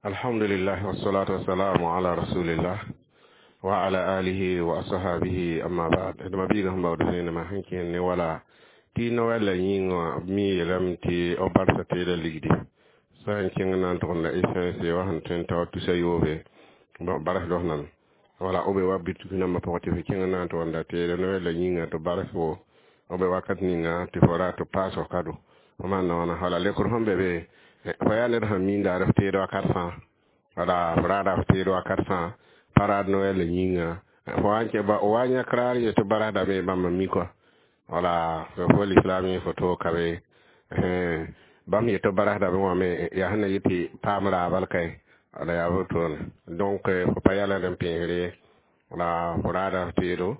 Alhamdulillah wassalatu wassalamu ala rasulillah wa ala alihi wa ashabihi, amma ba'd. D mabiigã sẽn baood zẽenema sẽn kẽer ne wala tɩ Noɛl la yĩngã b mi yeelame tɩ b barsa teeda ligdi sã n kẽng na n tʋgemda essence wa sẽn tõe n tao tusa yoobe barsd f nan wala b be wa bituk nambã pʋgẽ tɩ f kẽng na n tʋgemda teeda Noɛl la yĩngã tɩ bars fo b be wakat ninga tɩ fo ra tɩ paas f kado fo maan wãna. Wala lekr sẽn be be, fo yaa ned sẽn miinda f teed wakat fãa, wala f raada f teed wakat fãa pa raad Noɛl la yĩnga fo wa n kẽ wa yãk raar ye tɩ barasdame bãmb n mi kɔa. Wala fo l'islam yẽ fo toog ka be bãmb yetɩ barasdame wã me yaa sẽn na yɩ tɩ paam raabal kae. Wala yaa wotone. Donc fo pa yalend n pẽesr ye, wala fo raada f teedo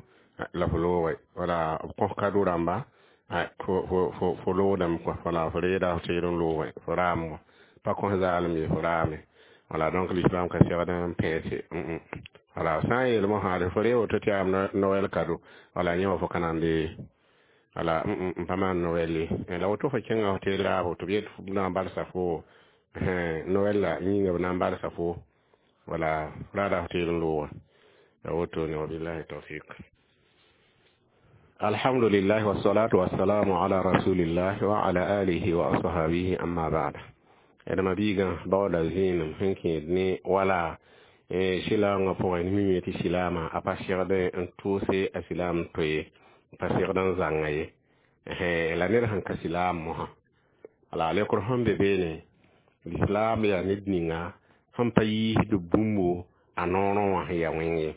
la fo looge, wala b kõs kado rãmba fo loogdame kɔa, wala fo reeda f teed n looge fo raam pa kõs zaalem ye fo raame. Wala donc l'islam ka segd n pẽese. Wala sã n yeel mosã fo ree woto tɩ yaa Noɛl kado, wala yẽ wã fo ka nande, wala n pa maan Noɛl ye. La woto fo kẽnga f teed raabo tɩ b yet b na n barsa fo Noɛl la yĩnga b na n barsa fo, wala raada f teed n looga ya wotone. Wabillahi tawfiq. Alhamdulillah wassalatu wassalamu ala rasulillah wa ala alihi wa ashabihi, amma ba'd. D mabiigã baooda zẽenem sẽn kẽed ne wala silaamgã pʋgẽ mime tɩ silaamã a pa segd n tʋʋse a silaam to ye, pa segd n zãnga ye la ned sẽn ka silaam mosã. Wala lekr sẽn be beene, lislaam yaa ned ninga sẽn pa yiisd bũmbo a noorẽ wã sẽn yaa wẽng ye.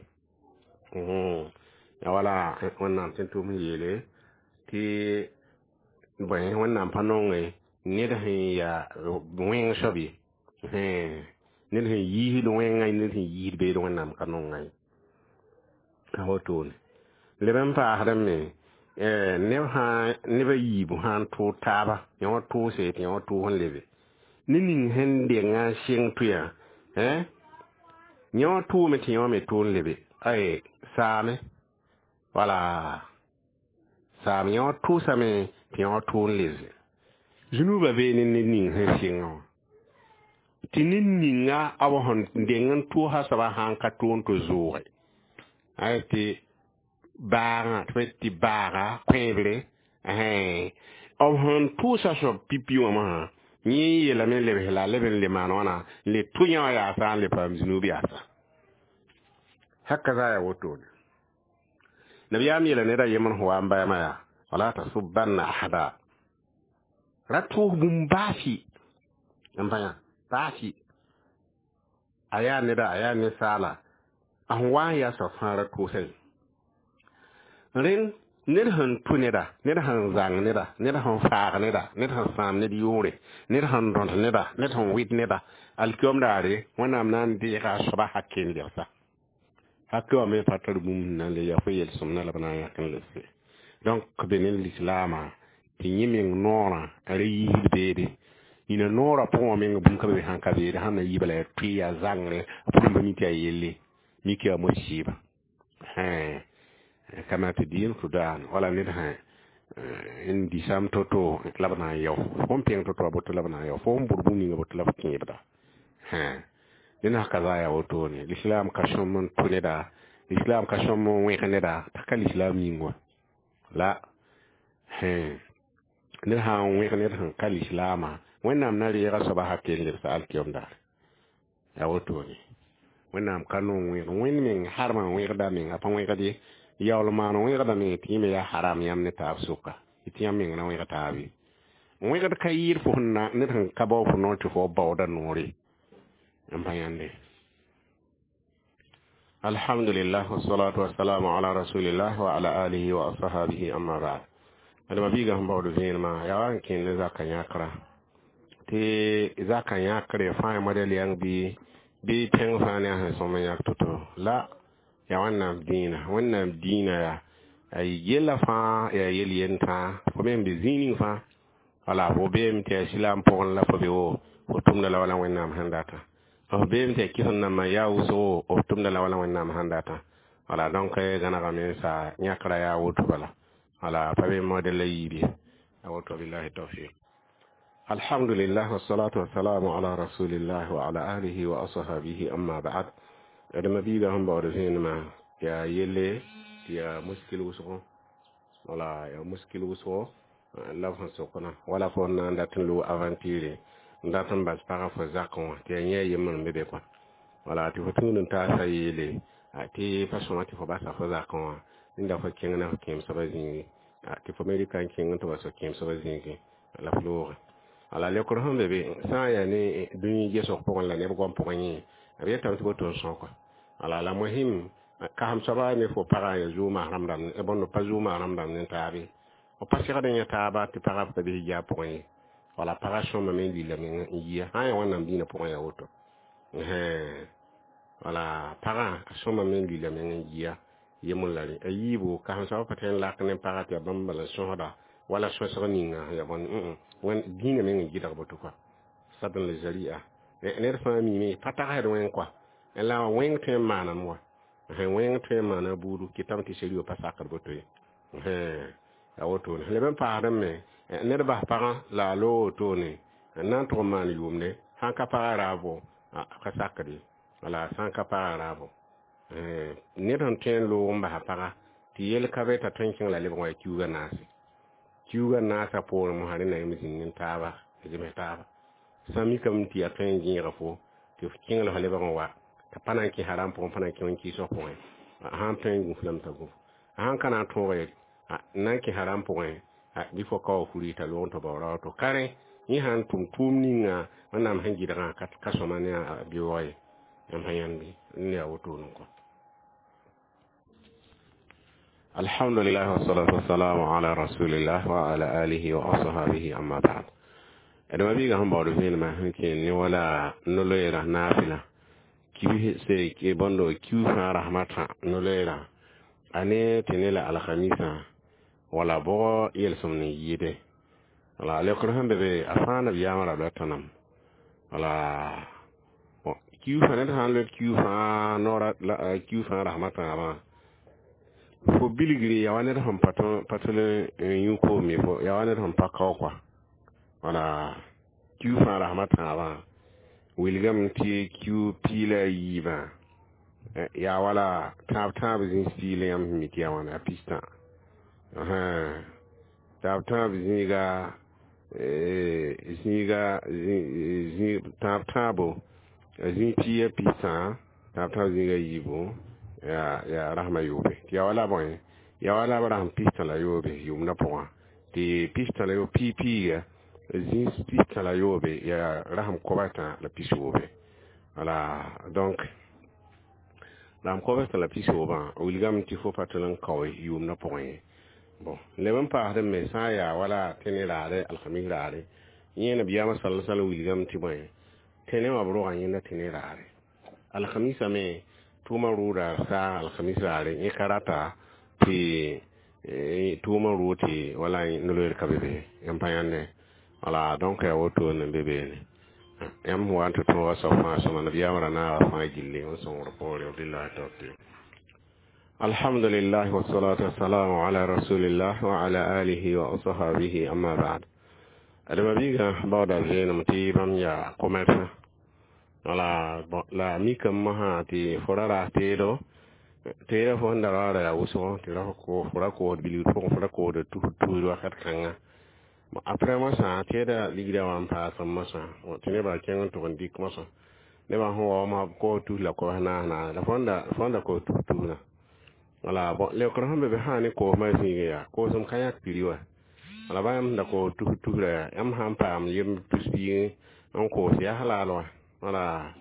Ya wala Wẽnnaam sẽn tʋm n yeele tɩ bõe Wẽnnaam pa nonge ned sẽn yaa wẽng soab ye, ned sẽn yiisd wẽngã, ned sẽn yiisd beed Wẽnnaam ka nonga ye. A wotone leb n paasdame me neb sã neb a yiibu sã n tʋʋg taaba yã wã tʋʋse tɩ yã wã tʋʋs n lebe ne ning sẽn denga n sɩng tʋ yã yã wã tʋʋme tɩ yã wã me tʋʋ n lebe ay saame, wala saam yã wã tʋʋsame tɩ yã wã tʋʋ n lebe zũnuubã bee ne ned ning sẽn sɩngã wã tɩ ned ninga b sẽn deng n tʋʋsa soaba sã n ka tʋʋ n tɩ zʋʋge ay tɩ baagã tɩ tɩ baaga kõebre b sẽn tʋʋsa soab pipi wã mosã yẽ yeelame lebs la leb n le maan wãna n le tʋ yã wã yaasa n le paam zũnuub yaasa haka za ya wotone. Nabiyaam yeela ned a yembr sẽn wa n bayama yaa wala tasubbanna ahada ra tʋʋs bũmb baasi n pa yã baasi a yaa neda a yaa ninsaala a sẽn wa n yaa soab fãa ra tʋʋsa ye. Rẽnd ned sẽn tʋ neda, ned sẽn zãng neda, ned sẽn faag neda, ned sẽn sãam ned yʋʋre, ned sẽn dõt neda, ned sẽn wɩt neda, alkiom daare Wẽnnaam na n deega a soaba hakk n lebsa hakk wã me pa tar bũmb sẽn na n le yaa fo yel-sõmda la b na n yãk n lebse. Donc be ne lislaamã tɩ yẽ meng noorã a ra yiisd beede nina noorã pʋgẽ wã meng bũmb ka be sãn ka beede sãn na yɩ bala yaa tʋɩ yaa zãngre a pʋgẽ pa mi tɩ yaa yelle mik yaa mosiiba kama tɩ dɩɩm tʋ daan wala ned sã n disam to-to la b na n yao fo n pẽng to-to a boto la b na n yao fo n bʋd bũmb ninga boto la b kẽebda. Dẽn ka za yaa wotone. L'islam ka sõm n tʋ neda, l'islam ka sõm n wẽg neda t'a ka l'islam yĩng wã la ned sã n wẽg ned sẽn ka lislaamã Wẽnnaam na reega soaba hakk n lebsa alkiom daare yaa wotone. Wẽnnaam ka nong wẽg wẽnd meng harmã wẽgda meng a pa wẽgd ye yaool maan wẽgdame tɩ yẽ me yaa haram yãmb ne taab sʋka tɩ yãmb meng na wẽg taab ye. Wẽgd ka yɩɩd fo sẽn na ned sẽn ka bao fo noor tɩ fo baooda noore n pa yãnde. Alhamdulillah wassalatu wassalamu ala rasulillah wa ala alihi wa ashabihi, amma ba'd. Adama biiga sẽn baood vẽenemã yaa wa n kẽnd ne zaka yãkra tɩ zaka yãkre fãa modɛl yãng bɩ tẽng fãa ne a sẽn sõm n yãk to-to la yaa Wẽnnaam dĩinã. Wẽnnaam dĩinã yaa a yella fãa yaa yel yend fãa fo me n be zĩig ning fãa, wala fo beeme tɩ yaa silaam pʋgẽ la fo be wo fo tʋmda la wala Wẽnnaam sẽn data f beeme tɩ yaa kɩsem nambã yaa wʋsgo f tʋmda la wala Wẽnnaam sẽn data. Wala donc gãnegame n sa yãkra yaa woto bala, wala pa be modɛl la yiib ye a woto. Billahi tawfiq. Alhamdulillah, wassalatu wassalamu ala rasulillah wa ala alihi wa ashabihi, amma ba'd. D mabiiga sẽn baood zẽenemã yaa yelle tɩ yaa muskil wʋsgo, wala yaa muskil wʋsgo la b sẽn sokdã wala fo na n dat n loog aventure n dat n bas pagã fo zakẽ wã tɩ yaa yẽ a yembr n be be kɔa, wala tɩ fo tũud n taasa yeele tɩ pa sõma tɩ fo basa fo zakẽ wã rẽnda fo kẽng na fo kẽem soabã zĩigi, tɩ fo me rɩka n kẽng n tɩ wa so kẽem soabã zĩigi la f looge. Wala leokr sẽn be be sã n yaa ne dũni gesg pʋgẽ la neb goam pʋgẽ yẽ b yetame tɩ boto n sõka. Wala la mohim kasem soaba ne fo pagã ya zʋʋg maasrãm rãmb bõnd pa zʋʋg maasrãm rãmb ne taabe f pa segd n yã taaba tɩ pagã pa bɩ hijab pʋgẽ ye, wala pagã sõmame n lila meng n yia sã n yaa Wẽnnaam dĩinã pʋgẽ yaa woto, wala pagã a sõmame n lila meng n yia yembr la rẽ. A yiibu kasem soaba pa tõe n lak ne pagã tɩ yaa bãmb bala n sõsda wala sõsg ninga ya bõn wẽn dĩinã meng n gɩdg boto kɔa sadn la zaria ned fãa miime pa tagsd wẽng kɔa la wẽng tõe n maaname wa, wẽng tõe n maana buudu kɩtame tɩ seriyo pa sakd boto ye, yaa wotone. Leb n paasdẽ me ned bas pagã la a loog wotone n na n tʋg n maan yʋʋmde sãn ka pagã raabo ka sakd ye, wala sãn ka pagã raabo ned sẽn tõe n loog n basa pagã tɩ yel ka be t'a tõe n kẽng la lebg wã yaa kiuugã naase, kiuugã naasã poorẽ mosã rẽnda yãmb zĩnd ne taaba zems taaba sã mikame tɩ yaa tõe n gẽega fo tɩ f kẽng la f lebg n wa t'a pa na n kẽ haram pʋgẽ, pa na n kẽ wẽn-kɩɩsg pʋgẽ, sãn tõe n gũf lame t'a gũf, sãn ka na n tõoga ye n na n kẽ haram pʋgẽ bɩ fo ka wa furi t'a loog n tɩ bao ra woto ka rẽ yẽ sãn tʋm tʋʋm ninga Wẽnnaam sẽn gɩdgã ka sõma ne a beoog ye, yãmb sã yãnd bɩ ne yaa wotone kɔ. Alhamdulillah, wassalatu wassalamu ala rasulillah wa ala alihi wa ashabihi, amma ba'd. D mabiiga sẽn baood vẽenemã sẽn kẽ ne wala no-loeerã naafɩla kiu bõndo kiu fãa rasmã tã no-loeerã a ne tɩ ne la alkhamisã wala bʋgɔ yelsem n yɩɩde, wala leokr sẽn be be a fãa nabiyaamã ra la tõnam, wala kiu fãa ned sã n loe kiu fãa noora kiu fãa rasmã tãabã fo bilgre yaa wa ned sẽn pa tʋl n yũ koom ye, fo yaa wa ned sẽn pa kao kɔa, wala kiu fãa rasmã tãabã wilgame tɩ kiu piig la a yiibã yaa wala tãab tãab zĩis piig la yãmb sẽn mi tɩ yaa wãna pistã tãab tãab zĩiga zĩiga tãab tãabo zĩig piig ya pistã tãab tãab zĩiga yiibu yaa rasmã yoobe tɩ yaa wala bõe yaa wala b rasem pistã la yoobe yʋʋmdã pʋgã tɩ pistã la yoobe piig piiga zĩis pistã la yoobe yaa rasem koabtã la pisoobe, wala donc rasem koabtã la pisoobã wilgame tɩ fo pa tʋl n kao yʋʋmdã pʋgẽ ye. Bon, leb n paasdẽ me sã n yaa wala tẽne raare alhamis raare yẽ nabiyaamã sala sallam wilgame tɩ bõe tẽne wã b rogã yẽnda tẽne raare alhamisã me tʋʋmã rʋʋda saa alhamis raare yẽ ka rata tɩ tʋʋmã rʋʋ tɩ wala no-loeer ka be be yãmb pa yãnde, wala donc yaa wotone n be beene yãmb wa n tɩ tõoga soab fãa sõma nabiyaamã ra naaga fãa gilli n sõngr poore. Billahi tawfiq. Alhamdulillah, wassalatu wassalamu ala rasulillah wa ala alihi wa ashabihi, amma ba'd. D mabiiga baooda vẽenem tɩ bãmb yaa commerçant, wala la mikame mosã tɩ fo ra raas teedo teedã fo sẽn da raoora yaa wʋsgo tɩ fo ra koosd bilgd pʋgẽ fo ra koosda tusd tusd wakat kãnga. Après mosã teedã ligdã wã n paasem mosã tɩ nebã kẽng n tʋg n dɩk mosã nebã sẽn wa mosã b koos tus la kobs naas naas la fo sẽn da koos tus tusdã, wala bon leokr sẽn be be sã ne koosmã zĩigẽ yaa koosem ka yãk piri wa, wala ba yãmb sẽn da koos tus tusrã yaa yãmb sã n paam yemb tus piig n koos yaa halal wa, wala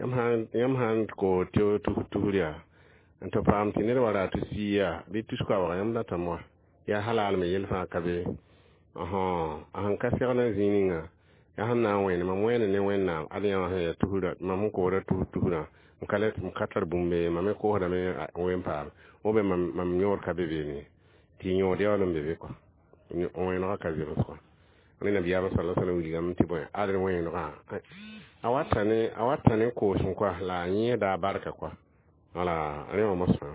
yãmb sã n koos tɩ tus tusr yaa n tɩ paam tɩ ned wa raa tus piig yaa bɩ tus koabga yãmb datame wa yaa halal me yel fãa ka be a sẽn ka segl n zĩig ninga yaa sẽn na n wẽne mam wẽene ne Wẽnnaam ad yã wã sẽn yaa tusrã mam sẽn koosda tus tusrã n ka lɛ m ka tar bũmb ye mam me koosdame wen paam ou bien mam yõod ka be beene tɩ yõod yaool n be be kɔa wẽnegã ka zems kɔa rẽ nabiyaamã sala sallam wilgame tɩ bõe ad wẽnegã a wata ne koosem kɔa la a yẽesda a barka kɔa, wala rẽ wã mosã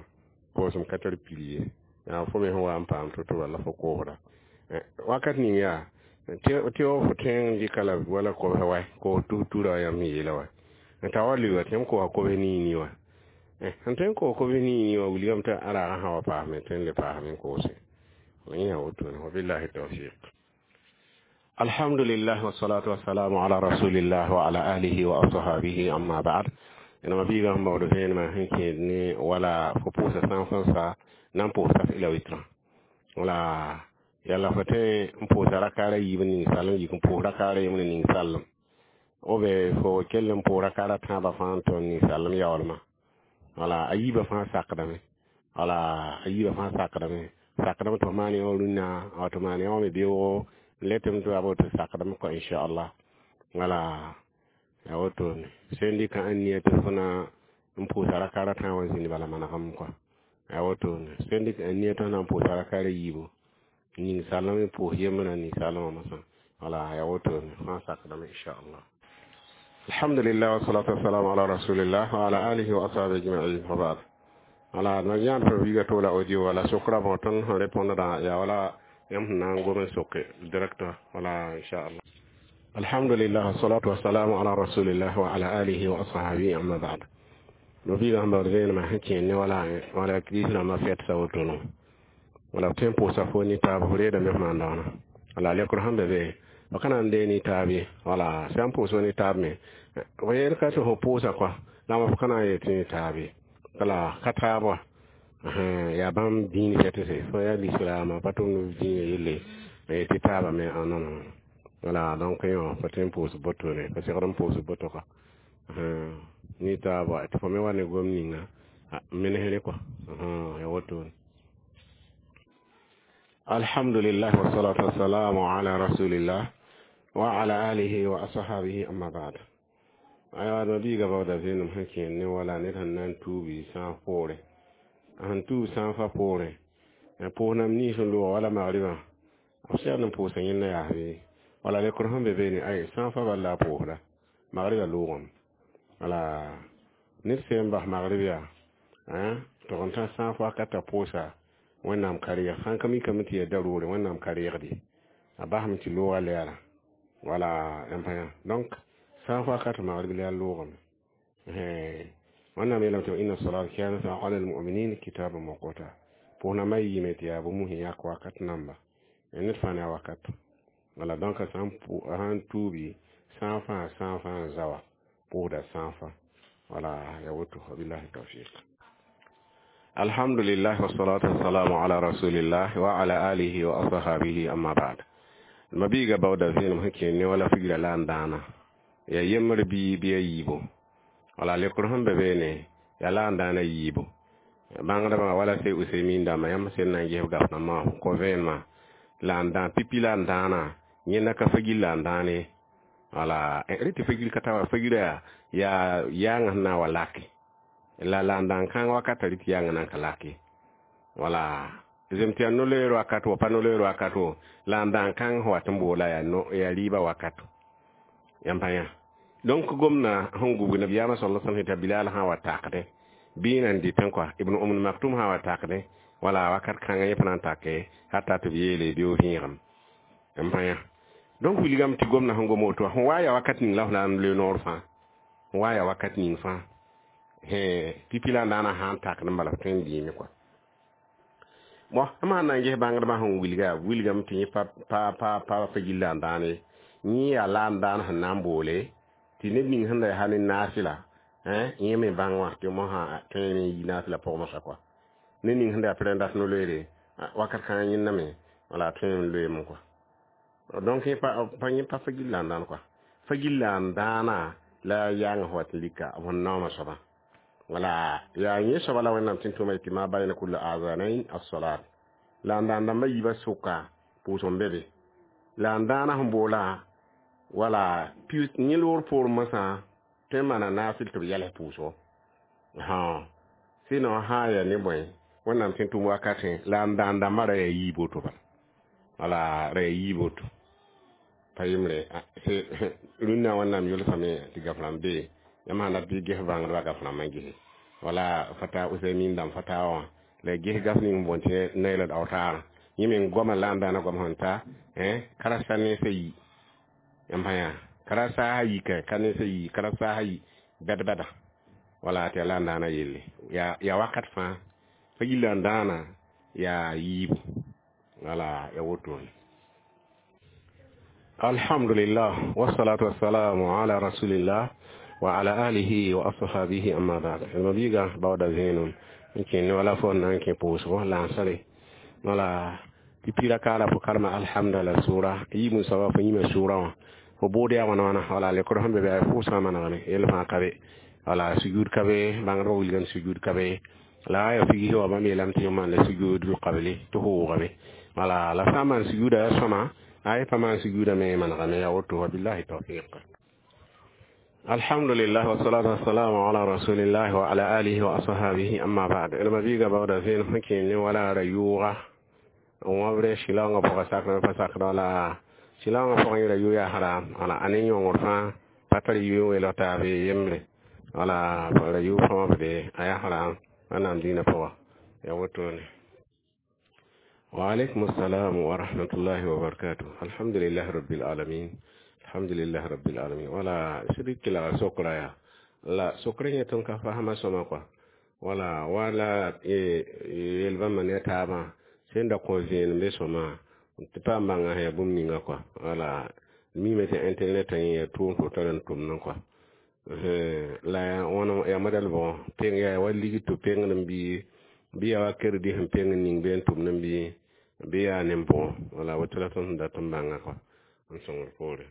koosem ka tar piri ye yaa fo me sẽn wa n paam to-to walla fo koosda wakat ning yaa Tɩ fo tẽng dɩka la wala kobs wa koos tus-tura yãmb sẽn yeela wa n ta wa lʋɩ tɩ m koosa kobs nii-nii wã sẽn tõe n koos kobs nii-nii wã wilgame tɩ a raagã sã wa paasme tõe n le paasme n koose. Yẽ yaa wotone. Wabillahi tawfiq. Alhamdulillah wassalatu wassalamu ala rasulillah wa ala alihi wa ashabihi, amma ba'd. Ẽnema biigã sẽn baood vẽenemã sẽn kẽed ne wala fo pʋʋsa sã n sẽn sa na n pʋʋs saf ila witrã wala yalla fo tõe n pʋʋsa rakaara yiib n ning salem yik n pʋʋs rakaara yembr n ning salem o be fo kell n pʋʋs rakaara tãabã fãa n tõnd ning salem yaoolmã wala a yiibã fãa sakdame wala a yiibã fãa sakdame sakdame tɩ f maan yã rũnnã tɩ maan yã wã me beoogo n le tɩ m tɩ a tɩ sakdame kɔ inchallah wala ya wotone sẽn dɩka n nia tɩ fo na n pʋʋsa rakaara tãag wã zĩnd bala manegem kɔa ya wotone sẽn dɩk n nia tɩ f na n pʋʋsa rakaara yiibu ning salem n pʋʋs yembrã ning salemã mosã wala ya wotone fãa sakdame inchallah. Alhamdulillah wassalatu wassalamu ala rasulillah wa ala alihi wa ashabihi ajma'in wa ba'd. Wala na yãad fo wiiga toola audio wala sokra bõ tõnd sẽn répondra yaa wala yãmb sẽn na n gom n soke directeur wala inchallah. Alhamdulillah wassalatu wassalamu ala rasulillah wa ala alihi wa ashabihi, amma ba'd. No biiga sẽn baood vẽenemã sẽn kẽed ne wala wala kirist rãmbã fɛt sa wotono wala b tõe n pʋʋsa fo ne taab fo reedame f maan daoona wala lekr sẽn be be b ka na n dee ne taab ye wala sã n pʋʋs ne taab me fo yeel ka tɩ fo pʋʋsa kɔa la f ka na n yet ne taab ye wala ka taab wã yaa bãmb dĩin fɛtse fo yaa lislaamã pa tʋmd dĩinã yelle tɩ taabã me non wala donc yõ pa tõe n pʋʋs botone pa segd n pʋʋs boto ka ne taab wa tɩ fo me wa ne gom ninga menesre kɔa ya wotone. Alhamdulillah wassalatu wassalamu ala rasulillah wa ala alihi wa ashabihi, amma ba'd. Aywa no biiga baooda vẽenem sẽn kẽed ne wala ned sẽn na n tuubi sã n poore sẽn tuub sã n fa poorẽ pʋʋs nam nins n loog wala magribã b segd n pʋʋsa yẽnda yaas bɩ wala lekr sẽn be beene ay sã n fa bal la a pʋʋsda magribã loogame wala ned sẽn n bas magrib yaa tɩg n tã sã n fa wakat t'a pʋʋsa Wẽnnaam ka reeg sãn ka mikame tɩ yaa daroore Wẽnnaam ka reegde a basame tɩ looga lɛɛra wala yãmb pa yã donc sã n wakat magrib la yaa loogame Wẽnnaam yeelame tɩ inna salat kanat ala almuminin kitaban mawquta pʋʋs nambã yiime tɩ yaa bũmb sẽn yãk wakat namba ned fãa ne a wakat wala donc sã n tuubi sã n fãa sã n fãa n zawa pʋʋsda sã n fa wala ya woto. Wabillahi tawfiq. Alhamdulillah wassalatu wassalamu ala rasulillah wa ala alihi wa ashabihi, amma ba'd. Mabiiga baooda vẽenem sẽn kẽed ne wala figra la n dãana ya yembr bɩ bɩ a yiibo wala lekr sẽn be beene ya la n dãana yiibo bãngdbã wala sey Usemin dãmba yãmb sẽn na n ges gaf rãmbã kõ vẽenemã la n dã pipi la n dãana yẽnda ka fagil la n dãane wala rẽ tɩ fagil ka ta wa fagira yaa yaangã sẽn na n wa lake la la n dãn kãng wakata rɩ tɩ yaangã nan ka lake wala zem tɩ yaa no-loeer wakat wo pa no-loeer wakat wo la n dãn kãng sẽn wat n boola yaa no yaa rɩɩbã wakato yãmb pa yã donc gomna sẽn gubg nabiyaamã sala sallam t'a Bilal sã wa takdẽ bɩ nan dɩtẽ kɔa Ibn Umm Maktum sã wa takdẽ wala wakat kãngã yẽ pa na n take hata tɩ b yeele bɩ vẽegem yãmb pa yã donc wilgame tɩ gomna sẽn gom woto sẽn wa yaa wakat ning la f na n loe noor fãa sẽn wa yaa wakat ning fãa pipi la n daana sã n takd n bala f tõe n dĩime kɔa bon m sãn na n ges bãngdbã sẽn wilga wilgame tɩ yẽ pa pa pa pa fa gilla n dãane yẽ yaa la n dãan sẽn na n boole tɩ ned ning sẽn da yaa ne naasɩla yẽ me bãng wã tɩ mosã tõe n yi naasɩla pʋgẽ mosã kɔa ned ning sẽn da yaa pɩr n dat no-loeere wakat kãngã yẽnda me wala tõe n loeeme kɔa donc yẽ pa yẽ pa fa gilla n dãan kɔa fa gilla n dãana la yaangã sẽn wat n lika b sẽn naooma soabã wala yaa yẽ soaba la Wẽnnaam tɩ n tʋma tɩ ma bayna kulla azanain as-salat la n dãan dãmbã yiibã sʋka pʋʋsg n be be la n dãana sẽn boola wala yẽ loor poorẽ mosã tõe n maana naasɩl tɩ b yɛls pʋʋsgo sɩnõ sã n yaa ne bõe Wẽnnaam tɩ n tʋm wakatẽ la n dãan dãmbã ra yaa yiib woto bala wala ra yaa yiib woto pa yembre rũnnã Wẽnnaam yʋlsame tɩ gaf rãmb be yãmb sãn dat bɩ ges bãngdbã gaf rãmbã gese wala fata Usaimin dãmb fatawa wã la ges gaf ning n boond tɩ Nailal Awtar. Yẽ meng goamã la n daana goam sẽn ta karasa nensã yi yãmb sã yaa karasa a yika ka nensã yi karasa a yi bɛd-bɛda wala tɩ yaa la n daana yelle yaa wakat fãa fa yilla n dãana yaa yiibu wala ya wotone. Alhamdulillah, wassalatu wassalamu ala rasulillah wa ala alihi wa ashabihi, amma ba'd. Mabiga bawda zẽenem n kẽnd wala fo na n kẽ pʋʋsgo lansre wala tɩ pira kaala fo karema alhamdulillah sʋʋra yiib n soaba fo yĩma sʋʋra wã fo bʋʋd yaa wãna wãna wala lekr sẽn be bɩ a pʋʋsgã manegame yell fãa ka be wala sujud ka be bãngdbã wilgame sujud ka be la ya figi wa bãmb yeelame tɩ maan la sujudul qabli tɩ hoogame wala la sã n maan sujuda ya sõma ay pa maan sujuda me manegame ya woto wabillahi tawfiq. Alhamdulillah, wassalatu wassalamu ala rasulillah wa ala alihi wa ashabihi, amma ba'd. Ilma biga bawda zẽen sẽn kẽen ne wala ra yʋʋga n wãbre sɩlaoongã pʋga sakr pa sakd wala sɩlaoongã pʋgẽ ra yʋ yaa haram wala a ne yõngr fãa pa tar yʋ n weelg taabe yembre wala ra yʋ fãa wãbde a yaa haram wẽnnaam dĩinã pʋga ya wotone. Wa alaikum assalam wa rahmatullahi wa barakatuh. Alhamdulillah rabbil alamin, alhamdulillah rabbil alamin. Wala sɩd kelga sokra ya la sokr yẽ tõnd ka fasma sõma kɔa wala wala yel bãmba ne taabã sẽn da kõ zẽenem be sõma tɩ paam bãnga sẽn yaa bũmb ninga kɔa wala mime tɩ internet yẽ yaa tʋʋm tɩ tar n tʋmdẽ kɔa la wãna yaa modɛl bʋgɔ peng yaa wa ligd tɩ pengd n bɩ yaa wa crédit sẽn peng n ning bɩ n tʋmd n bɩ yaa nen-bʋgɔ wala woto la tõnd sẽn dat n bãnga kɔa n sõngd poore.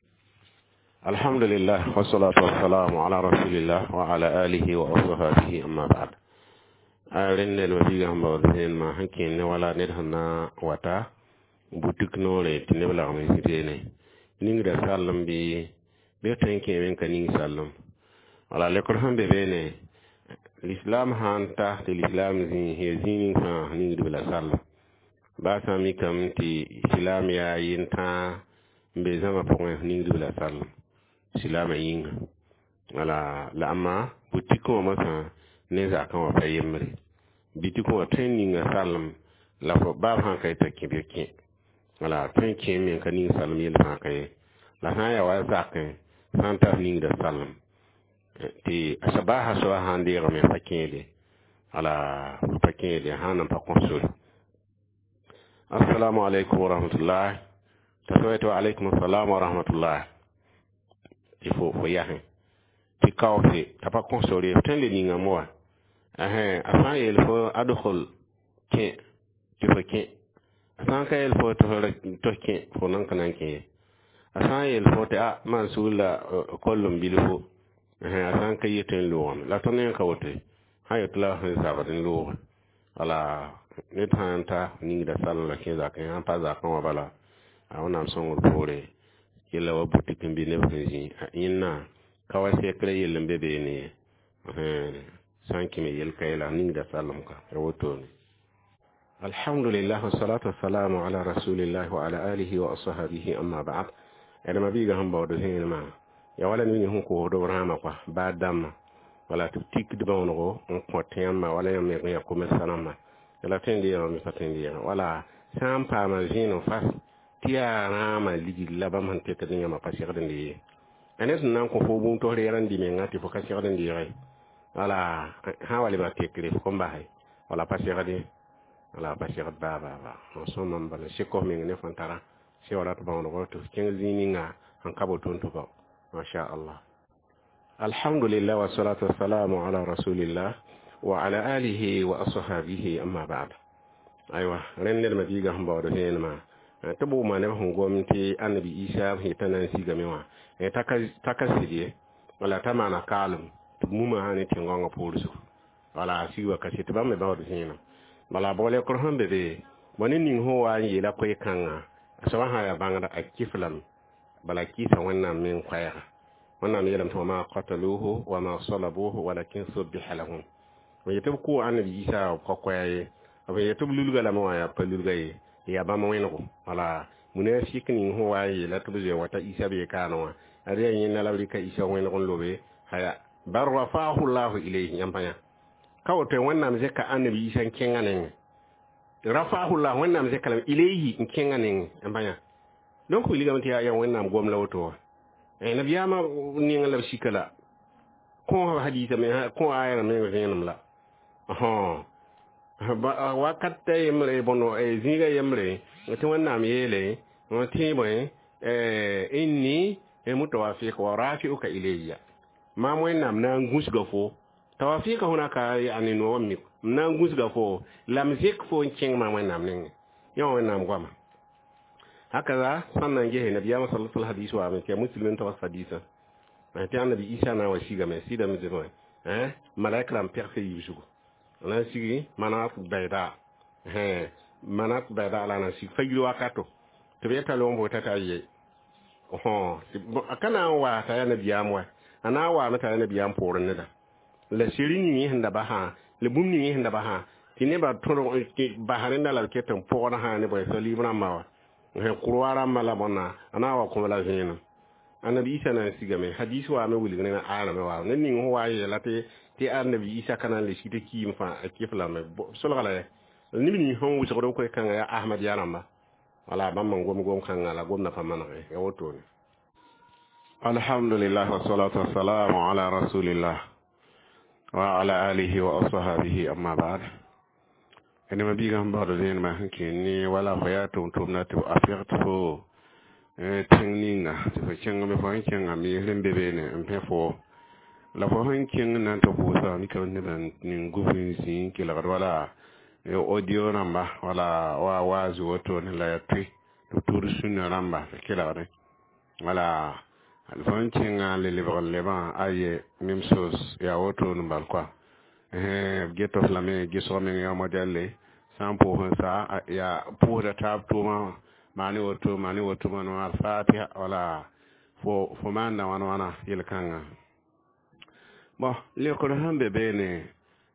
Alhamdulillah, wassalatu wassalamu ala rasulillah wa ala alihi wa ashabihi, amma ba'd. A rẽnd ned biiga sẽn baood zẽenmã sẽn kẽen ne wala ned sẽn na wata butik noore tɩ neb lagm n zĩ beene ningda sallem bɩ tõe n kẽeme n ka ning sallem wala lekr sẽn be beene l'islam sãn ta tɩ l'islam zĩ ya zĩig ning fãa ningdb la sallem baa sã n mikame tɩ islam yaa yentãa n be zãma pʋgẽ ningdb la sallem silaamã yĩnga wala la amma butikẽ wã mosã ne zakã wã pa yembre bitikẽ wã tõe n ninga sallem la fo baab sãn ka yetã kẽ bɩ kẽ wala tõe n kẽ me n ka ning sallem yell fãa ka ye la sã n yaa wa zakẽ sã n tar ningda sallem tɩ a baasa soaba sãn deegame pa kẽede wala pa kẽede sãn nan pa kõ sore. Assalamu alaikum wa rahmatullah t'a soa tɩ wa alaikum assalam wa rahmatullah tɩ fo yasẽ tɩ kaoose t'a pa kõ sore f tõe n le ningame wa a sã n yeel fo adkhul kẽ tɩ fo kẽ a sã n ka yeel fo tɩ f kẽ fo nan ka na n kẽ ye a sã n yeel fo tɩ a maan sugr la koll n bilfo a sã n ka yɩ tõe n loogame la tõnd yẽ ka woto sã yetɩ la sẽn zabd n looge wala ned sã n ta ningda sall la kẽ zakẽ sãn pa zakẽ wã bala a wẽnnaam sõngr poore yella wa butik n bɩ neb sẽn zĩ yẽnna ka wa sɛkrã yell n be beene ye sã n kẽme yel ka ye la ningda sallem ka ya wotone. Alhamdulillah, wassalatu wassalamu ala rasulillah wa ala alihi wa ashabihi, amma ba'd. Adama biiga sẽn baood zẽenemã ya wala ned sẽn koosd b rãamã kɔa baa dãmbã wala tɩ b tikd bãonego n kõt yãmba wala yãmb me ya commerçant rãmba la tõe n deegame bɩ pa tõe n deegame wala sã n paama zẽenem fas tɩ yaa rãamã ligd la bãmb sẽn tekd yãmba pa segd n dee a ned sẽn na n kõ fo bũmb tɩ f reer n dɩ menga tɩ fo ka segd n deege wala sã wa lebg tekre f kõn base wala pa segde wala pa segd baa baa baa n sõmam bala sek f meng ne fõn tara sẽn wa rat bãonego tɩ f kẽng zĩig ninga sẽn ka bo tõnd tɩ bao masha Allah. Alhamdulillah, wassalatu wassalamu ala rasulillah wa ala alihi wa ashabihi, amma ba'd. Aywa rẽnd ned mabiigã sẽn baood zẽenemã tɩ b wʋma neb sẽn gom tɩ annabi Isa sẽn yetã na n sigame wã t'a ka sɩd ye wala t'a maana kaalem tɩ b mumã ne tẽn-gãongã poor zugu wala sig wa ka sɩd tɩ bãmb me baood zẽenem bala bʋg lekr sẽn be be bõ ne ning sẽn wa n yeela koe-kãngã a soabã sã yaa bãngda a kɩf lame bala kɩɩsa Wẽnnaam meng koɛɛga Wẽnnaam yeelame tɩ wama qataluhu wama salabuhu walakin subbiha lahum b yetɩ b kʋʋ annabi Isa b ka koɛɛ ye b yetɩ b lulga lame wã yaa pa lulga ye yaa bãmb wẽnego wala munafik ning sẽn wa n yeela tɩ b zoe wata Isa bee kaane wã ad yaa yẽnda la b rɩka Isa wẽneg n lobe haya bal rafaahu llahu ilayhi yãmb pa yã ka woto Wẽnnaam zẽka annabi Isa n kẽngã nengẽ. Rafa'ahu Allah wẽnnaam zẽka ilayhi n kẽngã nengẽ n bã yã. Donc wilgame tɩ yaa wẽnnaam gom la woto wã. Nabiyaamã nengẽ la b sika la kõ hadisa me kõ aya meng vẽenem la. Wakat yembre bõndo zĩiga yembre tɩ wẽnnaam yeele tɩ bõe inni mutawafika wa rafi'uka ilayya maam wẽnnaam na n gũsga fo tawafika hunaka yani no mi na n gũsga fo la m zẽk fo n kẽng maam wẽnnaam nengẽ yã wẽnnaam goama. Hakaza sãn na n gese nabiyaamã sal sal hadis waame tɩ yaa muslim n tags hadisã tɩ annabi Isa na n wa sigame sɩdame tɩ bõe malaika rãmb pegsa yiib zugu na n sigi manat bayda manat bayda la na n sig fajr wakato tɩ b yeta long bʋ t'a ye ka na n wa t'a yaa nabiyaam wa a na n waame t'a yaa nabiyaam poorẽ neda la seri ning sẽn da basã la bũmb ning sẽn da basã tɩ nebã tõrg basa rẽnda la b ket n pɔgd sã ne bõe salib rãmba wa kurwa rãmba la bõnna a na n wa kõ la vẽenem. Annabi Isa na n sigame hadis waame wilg ne aya me wa ne ning sẽn wa n yeela tɩ annabi Isa ka na n le sig tɩ kiim fãa a kɩf lame solga la yɛ neb ning sẽn wʋsgd b koe-kãngã yaa Ahmad ya rãmba wala bãmb n gom gom-kãngã la gomda pa manege ya wotone. Alhamdulillah wassalatu wassalamu ala rasulillah wa ala alihi wa ashabihi amma ba'd. Ene ma biiga sẽn baood vẽenemã sẽn kẽ ne wala fo yaa tʋm-tʋmda tɩ a pɛg tɩ fo tẽng ninga tɩ fo kẽng me fo sẽn kẽngã miisr n be beene n pẽ fo la fo sẽn kẽng na n tɩ pʋʋsa mikame nebã ning gub n zĩ n kelgd wala audio rãmba wala wa waaz wotone la ya toe tɩ b tʋʋd sũnã rãmba tɩ kelgdẽ wala fo sẽn kẽngã le lebg n lebã aye même chose yaa wotone bal koa b get f lame gesg meng yaa modɛlle sã n pʋʋs n sa yaa pʋʋsda taab tʋʋmã maane woto maane woto maan alfatiha wala fo fo maanda wãn wãna yel-kãngã. Bon, leokr sẽn be beene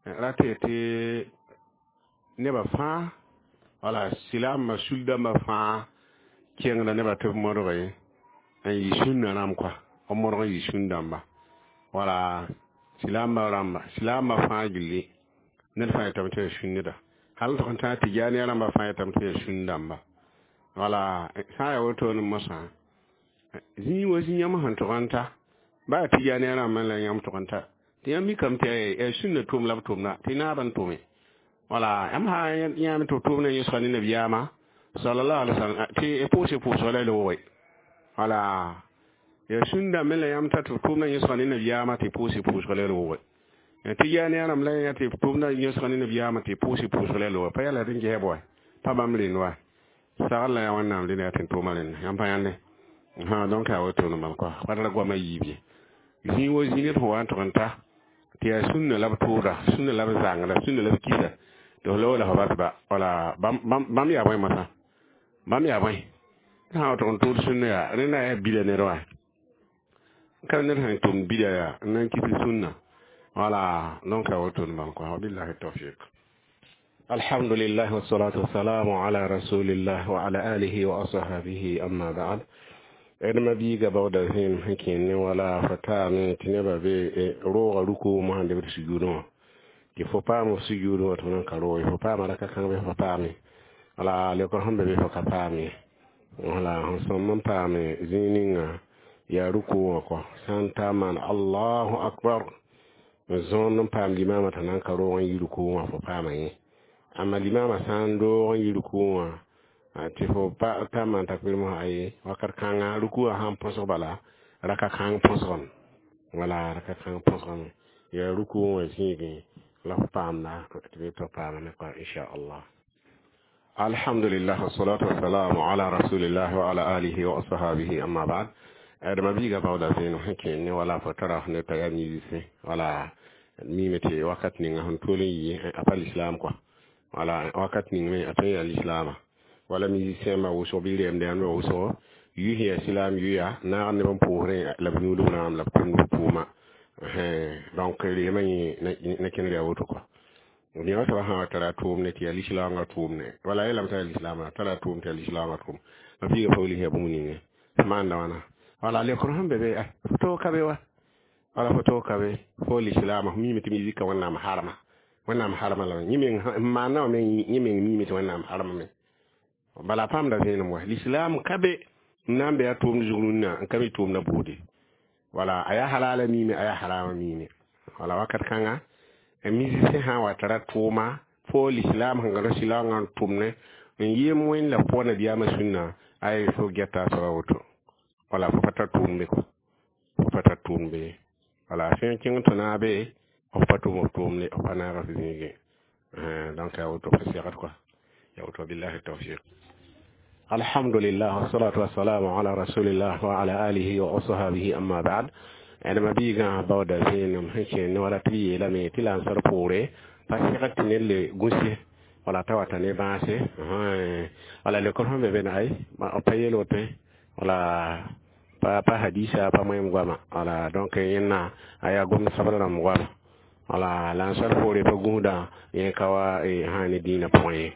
ra tɩ tɩ nebã fãa wala silaambã sul-dãmbã fãa kẽngda nebã tɩ b modge n yɩ sũnna rãmb koa b modg n yɩ sũn-dãmba wala silaambã rãmba silaambã fãa gilli ned fãa yetame tɩ yaa sũnneda hal tɩg n tãag tɩjaaniya rãmbã fãa yetame tɩ yaa sũn-dãmba wala sã n yaa wotone mosã zĩig wa zĩ yãmb sẽn tʋg n ta baa tɩjaaniya rãmbã la yãmb tʋg n ta tɩ yãmb mikame tɩ yaa sũnna tʋʋm la b tʋmda tɩ naab n tʋme wala yãmb sã yãame tɩ b tʋʋm na yẽsga ne nabiyaamã sallallahu alaihi wasallam tɩ pʋʋse pʋʋsg la loogre wala yaa sũn-dãmbẽ la yãmb ta tɩ b tʋʋm na yẽsga ne nabiyaamã tɩ pʋʋse pʋʋsg la loogre tɩ yaane rãmb la yã tɩ b tʋʋm na yẽsga ne nabiyaamã tɩ pʋʋse pʋʋsg la loogre pa yaa la d n gesb wa pa bãmb rẽnd wa sagl la yaa wẽnnaam rẽnd yaa tɩ n tʋʋma rẽnda yãmb pa yãnde donc yaa wotone bal koa pa ra goamã yiib ye zĩig wa zĩig d sẽn wa n tʋg n ta tɩ yaa sũnna la b tʋʋda sũnna la b zãngda sũnna la b kisa tɩ f loog la fo bas ba wala bãmb yaa bõe mosã bãmb yaa bõe sã n tʋg n tʋʋd sũnna yaa rẽnda yaa bida ned wa ka ned sẽn tʋmd bida yaa n na n kis sũnna wala donc yaa wotone bal koa wabillahi tawfiq. Alhamdulillah wassalatu wassalamu ala rasulillah wa ala alihi wa ashabihi amma ba'd. D ma biiga baooda vẽenem sẽn kẽ ne wala fo taame tɩ nebã be roogã ruko mosã lebd sujudẽ wã tɩ fo paam f sujudẽ wã tɩ f nan ka roog ye fo paama raka kãng bɩ fo paame wala leokr sẽn be bɩ fo ka paam ye wala sẽn sõm n paame zĩig ninga yaa ruku wã kɔ sã n ta maan allahu akbar n zõond n paam limaamã t'a nan ka roog n yi ruku wã fo paama yẽ amma limaamã sã n doog n yi ruku wã tɩ fo ta maan takbir mosã aye wakat kãnga ruku wã sãn põsg bala raka kãng põsgame wala raka kãng põsgame yaa ruku wã zĩigẽ la fo paamda tɩ bɩ tɩ paamame kɔa inchallah. Alhamdulillah wassalatu wassalamu ala rasulillah wa ala alihi wa ashabihi amma ba'd. D ma biiga baooda vẽenem sẽn kẽ ne wala fo tara ne t'a yaa musicien wala miime tɩ wakat ninga sẽn tol n yɩ a pa l'islam kɔa wala wakat ning me a tõe n yaa lislaamã wala musicien ma wʋsg bɩ rɛɛmda yãmb wʋsgo yʋ sẽn yaa silaam yʋya naag neb n pʋʋsrẽ la b yũudb rãam la b tʋmd b pʋʋma donc reemã yẽ na kẽnd yaa woto kɔa yã soaba sã wa tara tʋʋmne tɩ yaa lislaangã tʋʋmne wala yeelame t'a yaa lislaamã tara tʋʋm tɩ yaa lislaangã tʋʋm ma piiga pa wilg yaa bũmb ninge maanda wãna wala leokr sẽn be be fo toog ka be wa wala fo toog ka be fo lislaamã f miime tɩ mizika wẽnnaam harma Wẽnnaam harma lame. Yẽ meng n maanda wã me, yẽ meng miime tɩ Wẽnnaam harmame. Bala paamda vẽenem wa lislaam ka be n na n be a tʋʋmd zug rũnnã n ka mi tʋʋmdã buudi. Wala a yaa halala miime, a yaa harama miime. Wala wakat kãnga musicien sã n wa tara tʋʋma fo lislaam sẽn gãd sɩlaoongã n tʋm ne n yem Wẽnd la pʋga nabiyaamã sũnna, ay fo gɛta a soaba woto. Wala fo pa tar tʋʋm be, fo pa tar tʋʋm be. Wala sẽn kẽng tɩ naabe f pa tʋm f tʋʋmde, f pa naag f zĩigẽ. Donc ya woto, pa segd kɔa, ya woto. Billahi tawfiq. Alhamdulillah, wassalatu wassalamu ala rasulillah wa ala alihi wa ashabihi, amma ba'd. Ãdema biigã baooda vẽenem sẽn kẽnd ne wala tɩ b yeelame tɩ la n sar poore pa segd tɩ ned le gũse wala t'a wata ne bãase. Wala lekr sẽn be be na ay b pa yeel woto, wala pa hadisa pa moẽm goama. Wala donc yẽnna a yaa gomd sabr rãmb goama. Wala la n sar poore pa gũsda yẽ ka wa sã ne dĩinã pʋgẽ ye.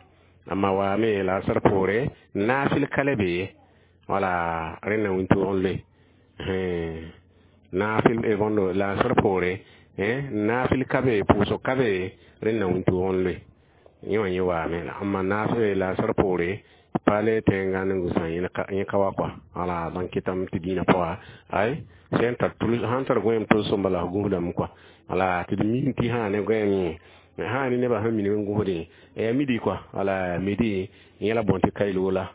Amma waame la sar poore naafɩl ka le be ye. Wala rẽnna wĩntoog n loe naafɩl bõndo la n sar poore naafɩl ka be, pʋʋsg ka be, rẽnna wĩntoog n loe yẽ wã yẽ waame. Amma naafɩl la n sar poore pa le tẽngã n gũsã, yẽ ka wa kɔa. Wala donc kɩtame tɩ dĩinã pʋga ay sẽn tar sãn tar goẽem tʋlsem bala f gũsdame kɔa. Wala tɩ d mim tɩ sã ne goẽem sã ne nebã sẽn minim n gũsdẽ ya midi kɔa. Wala midi yẽ la bõn tɩ kailoola.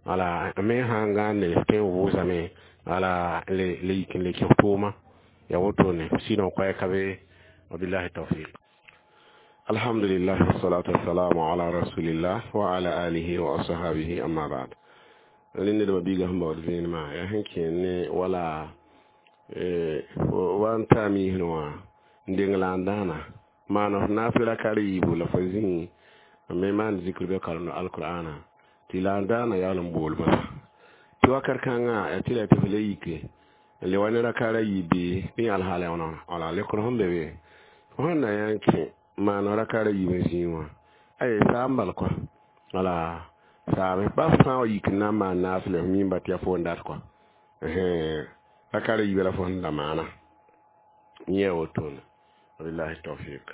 Wala me sãn gãande tõe n vʋʋsame, wala le yik n le kẽ f tʋʋma ya wotone sinon koɛ ka be. Wabillahi tawfiq. Alhamdulillah, wassalatu wassalamu ala rasulillah wa ala alihi wa ashabihi, amma ba'd. Rẽnd nedbã biigã sẽn baood vẽenemã yaa sẽn kẽen ne wala wa n taa miisẽ wã n deng la n dãana maan f naafɩ raka yiibu la fo zĩ me maan zikr bɩ karemd alqur'ana tɩ la n daana yaool n bool masa tɩ wakat kãngã ya tɩ la tɩ f le yike n le wa ne raka ra yiibe bɩ alhaala wãna. Wala lekr sẽn be be fo sẽn na yã n kẽ maan raka ra yiib n zĩig wã ay saam bal kɔa. Wala saame ba f sã n wa yik n na n maan naafɩle, f miimba tɩ yaa fo n dat kɔa raka ra yiibã la fo sẽn da maana yẽ wotone. Wabillahi tawfiq.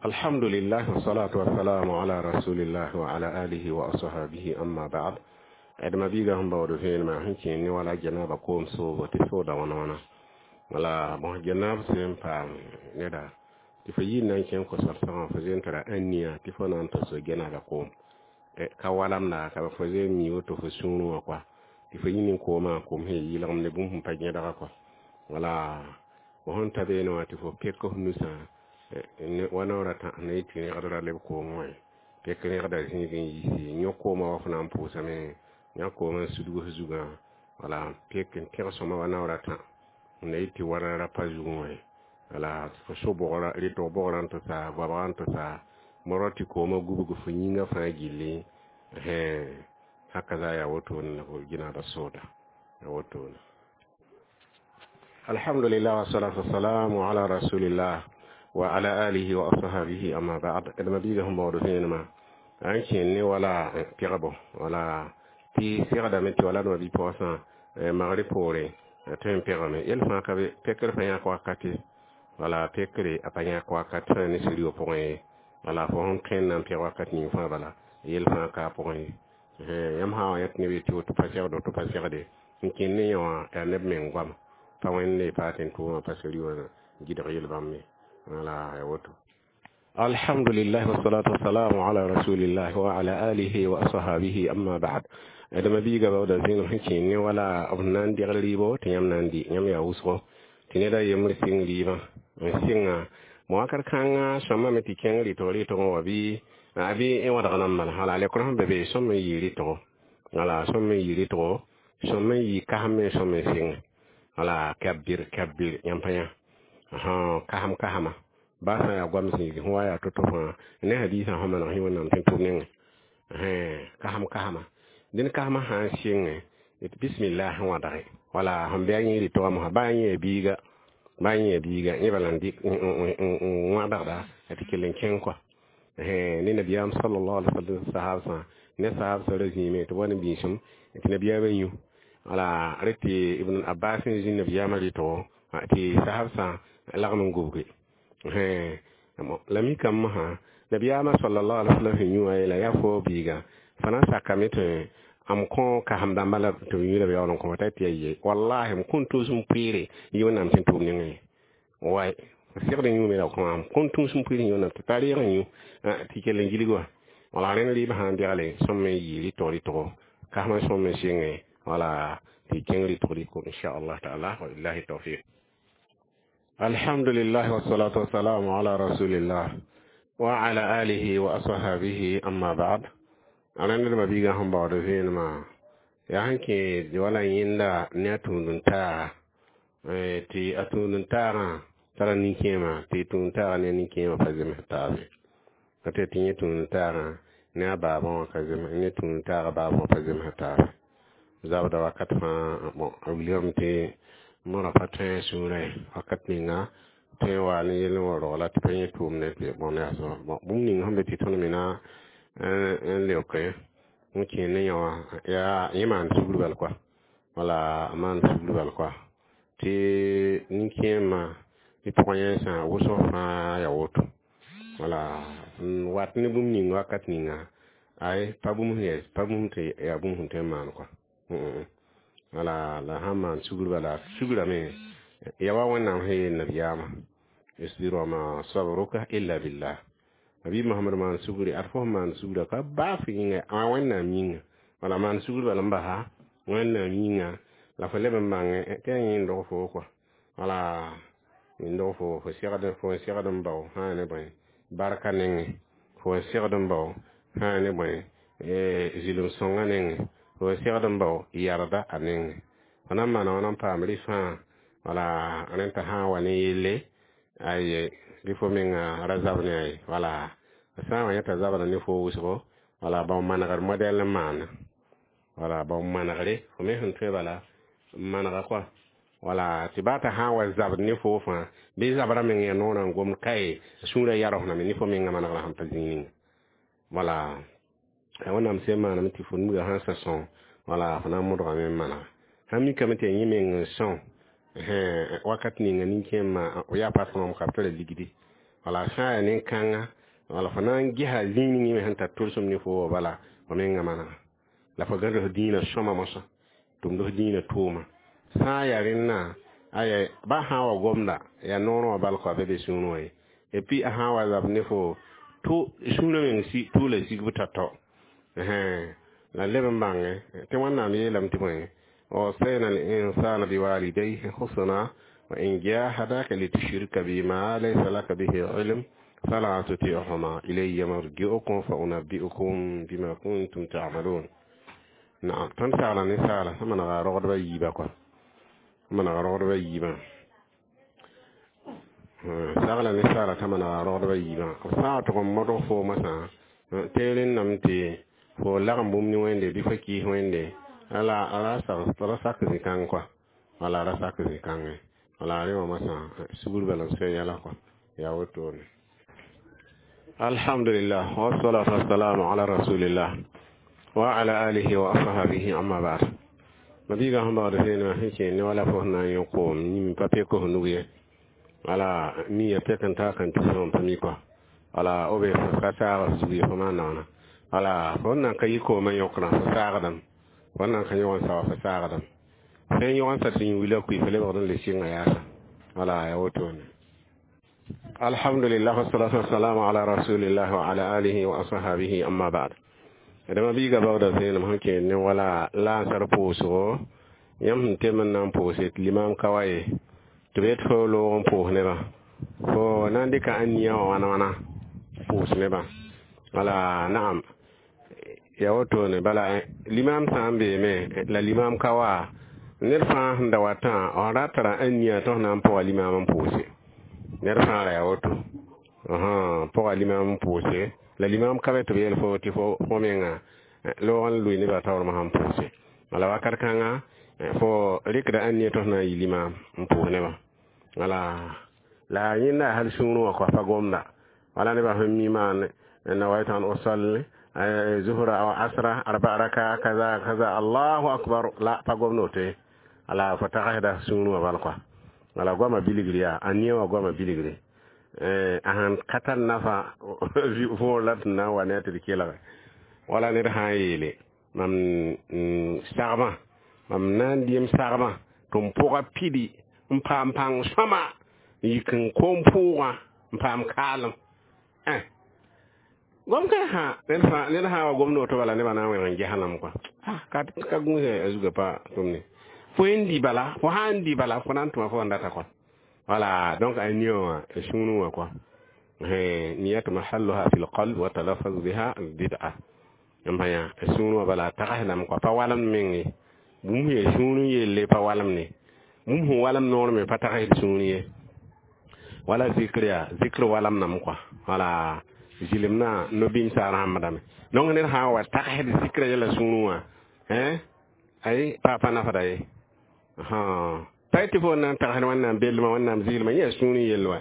Alhamdulillah, wassalatu wassalamu ala rasulillah wa ala alihi wa ashabihi, amma ba'd. Adama biiga sẽn baood vẽenemã sẽn kẽen ne wala janaba koom soobo tɩ sooda wãna wãna. Wala bõs janab sẽn paam neda tɩ fo yɩ n na n kẽng kosal-sõgã, fo zen tara ãnnia tɩ fo na n ta so janaba koom ka walamda ka fo zen mi woto fo sũurẽ wã kɔa tɩ fo yĩ nin koomã koom sẽn yɩlgem ne bũmb sẽn pa gẽdga kɔa. Wala fo sẽn ta beene wã tɩ fo pek f nusã wa naoor a tã na yɩ tɩ rẽgdra leb koom wã pek rẽgda zĩig n yiisi yõ koomã wa fo na n pʋʋsame yã koomã n sudg f zugã. Wala pek n tẽg sõma wa naoor a tã n na yɩ tɩ wara ra pa zugẽ wã. Wala fo so bʋgra rɩtg bʋgrã n tɩ sa goabgã n tɩ sa morg tɩ koomã gubg fo yĩngã fãa gilli. Hakaza yaa wotone la fo ginaada sooda ya wotone. Alhamdulillah, wassalatu wassalamu ala rasulillah wa ala alihi wa ashabihi, amma ba'd. Adama biiga sẽn baood vẽenemã n kẽen ne wala pegbo. Wala tɩ segdame tɩ wala dẽma bi-paoosã magre poore tõe n pegame yel fãa ka be pekr pa yãk wakate. Wala pekre a pa yãk wakat sã ne siri pʋgẽ ye. Wala fo sẽn kẽnd na n peg wakat ning fãa bala yel fãa ka a pʋgẽ ye. Yãmb sã wa yãt ne be tɩ woto pa segd woto pa segde n kẽnd ne yẽ wã yaa neb meng goama pa Wẽnde pa tɩ n tʋʋmã pa siri wã gɩdg yel bãmb ye. Wala ya woto. Alhamdulillah, wassalatu wassalamu ala rasulillah wa ala alihi wa ashabihi, amma ba'd. Adama biiga baooda zẽenem sẽn kẽen ne wala b na n degl rɩɩbo tɩ yãmb na n dɩ yãmb yaa wʋsgo tɩ neda yembr sɩng rɩɩbã n sɩnga bõ wakat kãngã sõmame tɩ kẽng rɩtg rɩtgẽ wã bɩ a bɩ wãdg nan bala. Wala lekr sẽn be be sõm n yɩ rɩtgo, wala sõm n yɩ rɩtgo, sõm n yɩ kasem n sõm n sɩngẽ. Wala kabbir kabbir yãmb pa yã kasem kasema ba sã yaa goam zĩig sẽn wa yaa to-to fãa ne hadiisã sẽn maneg sẽ Wẽnnaam tɩ n tʋm nengẽ kasem kasema dẽn kasmã sã n sɩngẽ bismillah sẽn wãdge. Wala sẽn bɩ a yẽ rɩtgã mosã ba yẽ biiga ba yẽ biiga yẽ bala n dɩk n wãdgda tɩ kell n kẽng kɔa ne nabiyaam sallallahu alaihi wasallam sahabsã ne sahabsã ra zĩime tɩ wa ne biisem tɩ nabiyaamã yũ. Wala rẽ tɩ Ibn Abbas n zĩ nabiyaamã rɩtgo tɩ sahabsã lagm n gubge. La mikame masã nabiyaamã sallallahu alaihi wasallam sẽn yũ wã yeela yaa fo biiga fo na n sakame tɩ m kõ kasem dãmbã la tɩ b yũ la b yaool n kõ t'a tɩ ya ye wallahi m kõn tũus n pʋɩɩre yɩ wẽnnaam sẽn tʋʋm nengẽ ye way segd n yũme la kõ m kõn tũus n pʋɩɩr yɩ wẽnnaam tɩ pa reeg n yũ tɩ kell n gilg wã wala rẽnd rɩɩb sã n bɛgle sõm n yɩ rɩtg rɩtgo kasmã sõm n sɩngẽ wala tɩ kẽng rɩtg rɩko inchallah taala wa billahi tawfiq. Alhamdulillah wassalatu wassalamu ala rasulillah wa ala alihi wa ashabihi amma ba'd. Rẽnd d mabiigã sẽn baood vẽenemã yaa sẽn kẽ wala yẽnda ne a tũud-n-taaga tɩ a tũud-n-taagã tara nin-kẽema tɩ tũud-n-taagã ne a nin-kẽemã pa zems taabe ka tɩ yẽ tũud-n-taagã ne a baabã wã ka zems ne tũud-n-taagã baabã wã pa zems taabe zabda wakat fãa bon a wilgame tɩ mõra pa tõe a sũurã ye wakat ninga tõe n wa ne yell n wa rogla tɩ pa yẽ tʋʋmdẽ tɩ bõn yaa bon bũmb ning sẽn be tɩ tõnd me na n leoke n kẽ ne yã wã yaa yẽ maan sugr bal koa wala a maan sugr bal koa tɩ nin-kẽemã tɩ pʋgã yẽnsã wʋsg fãa yaa woto wala n wat ne bũmb ning wakat ninga ay pa bũmb sẽn pa bũmb tɩ yaa bũmb sẽn tõe n maan koa wala la sãn maan sugr bala sugrame ya wa wẽnnaam sẽn yeel nabiyaamã isbir wa ma sabruka illa billah nabi Muhammad maan sugri ad fo maan sugra ka baaf yĩnga a wẽnnaam yĩnga wala maan sugr bala n basa wẽnnaam yĩnga la fo leb n bãngẽ tɩ a yẽ n dog fo kɔa wala n dog fo fo segd fo n segd n bao sã ne bõe barka nengẽ fo n segd n bao sã ne bõe zilem sõngã nengẽ fo n segd n bao yarda a nengẽ fo na n maana wãna n paam rɩ fãa wala rẽn t'a sã n wa ne yelle aye bɩ fo menga ra zab ne a ye wala sã n wa yẽ t'a zabda ne fo wʋsgo wala bao manegr modɛl n maana wala bao manegre fo me sẽn tõe bala n manega kɔa wala tɩ baa t'a sã n wa zabd ne fo fãa bɩ zabra meng yaa noorã n gomd kae sũurã yarosdame ne fo menga manegrã sẽn pa zĩig ninga wala wẽnnaam sẽn maaname tɩ fo nuga sãn sa sõng wala fo na n modgame n manega sãn mikame tɩ yaa yẽ meng n sõng wakat ninga nin-kẽemã yaa patron ka b tara ligdi wala sã n yaa nin-kãnga wala fo na n gesa zĩig ning me sẽn tar tolsem ne fo wa bala fo menga manega la fo gãd f dĩinã sõma mosã tʋmd f dĩinã tʋʋma sã n yaa rẽnnã aya ba sã n wa gomda yaa noorã wã bal kɔa bɩ be sũurẽ wã ye et puis a sã n wa zab ne fo tʋ sũurã meng tʋʋla sigb tao-tao la leb n bãngẽ tɩ wẽnnaam yeelame tɩ bõe ووصينا الإنسان بوالديه حسنا وإن جاهداك لتشرك بما ليس لك به علم فلا تطيعهما إلي مرجعكم فأنبئكم بما كنتم تعملون. نعم tõnd sagla ninsaala sẽn manega rogdbã yiibã kɔa manega rogdbã yiibã sagla ninsaala t'a manega rogdbã yiibã b sã n tʋg n modg fo masã teer n nam tɩ fo lagem bũmb ne wẽnde bɩ fo kɩɩs wẽnde ala ra sak zĩ-kãng kɔa wala ra sak zĩ-kãngẽ wala rẽ wã masã sugr bala n soe yɛla kɔa yaa wotone. Alhamdulillah wassalatu wassalamu ala rasulillah wa ala alihi wa ashabihi amma ba'd. Mabiiga sẽn baood vẽenemã sẽn kẽ ne wala fo sẽn na n yõ koom yĩm pa pek f nug ye wala miya pek n taa kan tɩ pa mi kɔa wala b ka saag f zug ye fo maan naoona wala fo n nan ka yɩ koomã yõkrã fo saagdame fo n nan ka yõg n sawa fo saagdame sẽn yõg n sa tɩ yũ wila kui fo lebgd n le sɩnga yaasa wala yaa wotone. Alhamdulillah wassalatu wassalamu ala rasulillah wa ala alihi wa ashabihi amma ba'd. Dama biiga baooda vẽenem sẽn kẽed ne wala laasar pʋʋsgo yãmb sẽn tem n na n pʋʋse tɩ limam ka wa ye tɩ b yet fo loog n pʋʋs nebã fo na n dɩka ãniyã wã wãna wãna pʋʋs nebã wala naam ya wotone bala limam sã n beeme la limam ka wa ned fãa sẽn da watã f ra tara ãniyã tɩ f na n pʋga limam n pʋʋse ned fãa ra yaa woto pʋga limam n pʋʋse la limam ka be tɩ b yeel fo tɩ fo menga loog n lʋɩ nebã taoor mosã n pʋʋse wala wakat kãnga fo rɩkda ãniyã tɩ f na n yɩ limam n pʋʋs nebã wala la yẽnda hal sũurẽ wã kɔa pa gomda wala nebã sẽn mi maan nawaitu an usalli zuhra aw asra arba raka kaza kaza allahu akbar la pa gomd woto ye wala fo tagsda sũurẽ wã bal kɔa wala goamã bilgr yaa a nia wã goamã bilgre A sãn ka tar nafa võor la tɩ na n wa ne a tɩ d kelge wala ned sã n yeele mam sagmã, mam na n dɩ m sagmã tɩ m pʋga pidi n paam pãng sõma n yik n koom pʋʋgã n paam kaalem. Gom kãe sã ned sã wa gomd woto bala nebã na n wẽneg n ges lame kɔa ka gũus a zugã pa tʋm ne fo n dɩ bala, fo sã n dɩ bala fo na n tʋma fo sẽn data kɔa. Voilà, donc a nia wã a sũurẽ wã kɔa niyatu mahalluha fi lqalb wa talaffaz biha bid'a n pa yã a sũurẽ wã bala a tagsdame kɔa pa walemd meng ye. Bũmb sẽn yaa sũurẽ yelle pa walem ne, bũmb sẽn walem noor me pa tagsd sũur ye. Wala zikr yaa zikr walemdame kɔa, wala zɩlemdã no-bĩmsa rãmbdame. Donc ned sã n wa tagsd zikrã yɛla sũurẽ wã ay pa nafda ye. Pa tɩ fo na n tagsd Wẽnnaam bellmã, Wẽnnaam zɩɩlmã yẽ yaa sũurẽ yell wa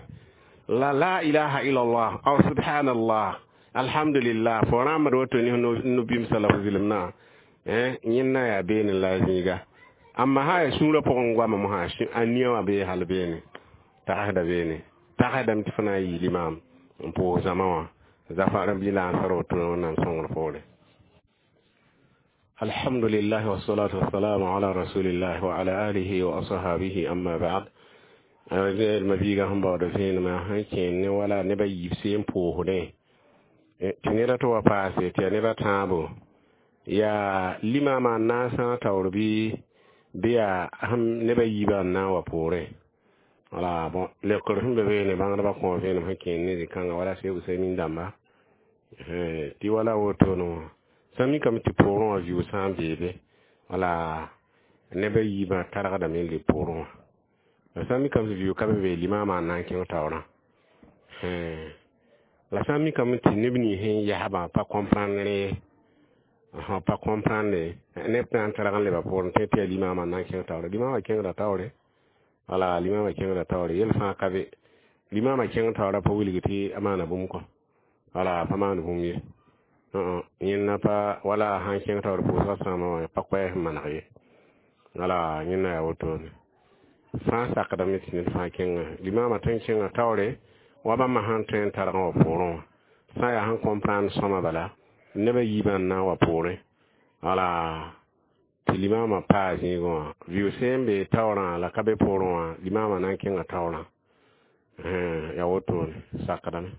la la ilaha illallah aw subhanallah alhamdulillah fo rãmbd woto ne no-bĩmsã la fo zɩlemdã yẽnna yaa beene la zĩiga. Amma sã yaa sũurã pʋgẽ goama mosã a nia wã bee hal beene tagsda beene tagsdame tɩ fo na n yɩ limaam n pʋʋs zãma wã zafa bɩ la n sar woto Wẽnnaam sõngr poore. الحمد لله والصلاة والسلام على رسول الله وعلى آله وأصحابه أما بعد. Ma-biigã sẽn baood vẽenemã sẽn kẽen ne wala nebã yiib seen pʋʋsdẽ tɩ neda tɩ wa paase tɩ yaa neb a tãabo yaa limaamã n na n sãag taoor bɩ yaa nebã yiibã n na n wa poorẽ. Wala bon leokr sẽn be beene bãngdbã kõ vẽenem sẽn kẽen ne zĩ-kãnga wala Seg Usaymin dãmba tɩ wala wotone wã sã mikame tɩ poorẽ wã vɩʋʋg sã n beebe wala nebã yiibã targdame n leb poorẽ wã la sã n mikame tɩ vɩʋʋg ka be be limaamã n na n kẽng taoorã. La sã n mikame tɩ neb nins sẽn yasbã pa comprendre ye, pa comprendre neb na n targ n leba poorẽ tɩ yaa limaamã n na n kẽng taoore. Limaamã kẽngda taoore, wala limaamã kẽngda taoore yel fãa ka be limaamã kẽng taoorã pa wilg tɩ a maana bũmb kɔ, wala pa maan bũmb ye. Yẽnna pa wala sãn kẽng taoor pʋʋsgã sãama wã pa koɛɛs n maneg ye. Wala yẽnna yaa wotone fãa sakdame tɩ ned fãa kẽnga limaamã tõe n kẽnga taoore wa bãmba sãn tõe n targã wã poorẽ wã sã n yaa sẽn comprendre sõma bala nebã yiibã n na n wa poorẽ wala tɩ limaamã paa zĩigẽ wã vɩʋʋg sẽn be taoorã la ka be poorẽ wã limaamã na n kẽnga taoorã yaa wotone sakdame.